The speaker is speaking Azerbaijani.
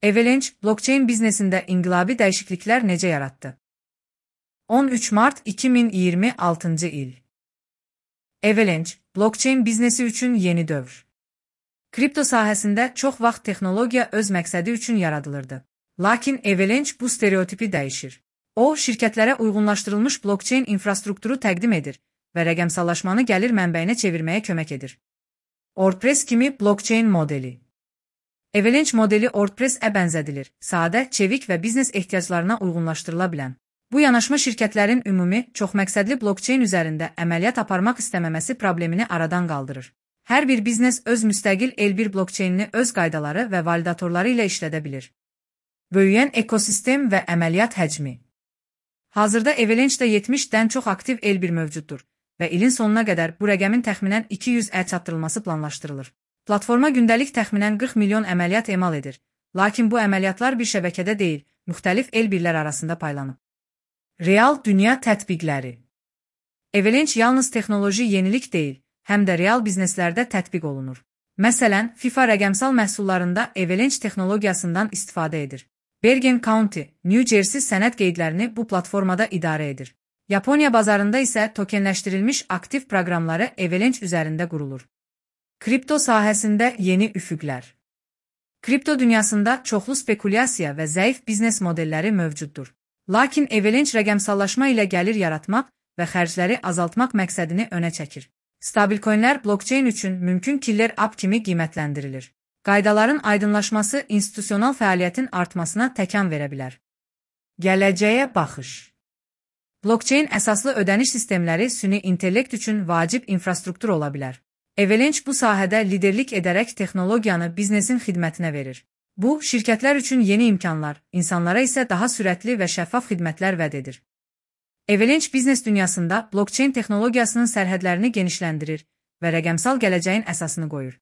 Avalanche, blockchain biznesində inqilabi dəyişikliklər necə yaratdı? 13 Mart 2026 il. Avalanche, blockchain biznesi üçün yeni dövr. Kripto sahəsində çox vaxt texnologiya öz məqsədi üçün yaradılırdı. Lakin Avalanche bu stereotipi dəyişir. O, şirkətlərə uyğunlaşdırılmış blockchain infrastrukturu təqdim edir və rəqəmsallaşmanı gəlir mənbəyinə çevirməyə kömək edir. WordPress kimi blockchain modeli. Avalanche modeli WordPress-ə bənzədilir, sadə, çevik və biznes ehtiyaclarına uyğunlaşdırıla bilən. Bu yanaşma şirkətlərin ümumi, çoxməqsədli blockchain üzərində əməliyyat aparmaq istəməməsi problemini aradan qaldırır. Hər bir biznes öz müstəqil L1 blockchainini öz qaydaları və validatorları ilə işlədə bilir. Böyüyən ekosistem və əməliyyat həcmi. Hazırda Avalanche-də 70-dən çox aktiv L1 mövcuddur və ilin sonuna qədər bu rəqəmin təxminən 200-ə çatdırılması planlaşdırılır. Platforma gündəlik təxminən 40 milyon əməliyyat emal edir, lakin bu əməliyyatlar bir şəbəkədə deyil, müxtəlif L1-lər arasında paylanıb. Real dünya tətbiqləri. Avalanche yalnız texnoloji yenilik deyil, həm də real bizneslərdə tətbiq olunur. Məsələn, FIFA rəqəmsal məhsullarında Avalanche texnologiyasından istifadə edir. Bergen County, New Jersey sənəd qeydlərini bu platformada idarə edir. Yaponiya bazarında isə tokenləşdirilmiş aktiv proqramları Avalanche üzərində qurulur. Kripto sahəsində yeni üfüqlər. Kripto dünyasında çoxlu spekulyasiya və zəif biznes modelləri mövcuddur. Lakin Avalanche rəqəmsallaşma ilə gəlir yaratmaq və xərcləri azaltmaq məqsədini önə çəkir. Stabilcoinlər blockchain üçün mümkün killer app kimi qiymətləndirilir. Qaydaların aydınlaşması institusional fəaliyyətin artmasına təkan verə bilər. Gələcəyə baxış. Blockchain əsaslı ödəniş sistemləri süni intellekt üçün vacib infrastruktur ola bilər. Avalanche bu sahədə liderlik edərək texnologiyanı biznesin xidmətinə verir. Bu, şirkətlər üçün yeni imkanlar, insanlara isə daha sürətli və şəffaf xidmətlər vəd edir. Avalanche biznes dünyasında blockchain texnologiyasının sərhədlərini genişləndirir və rəqəmsal gələcəyin əsasını qoyur.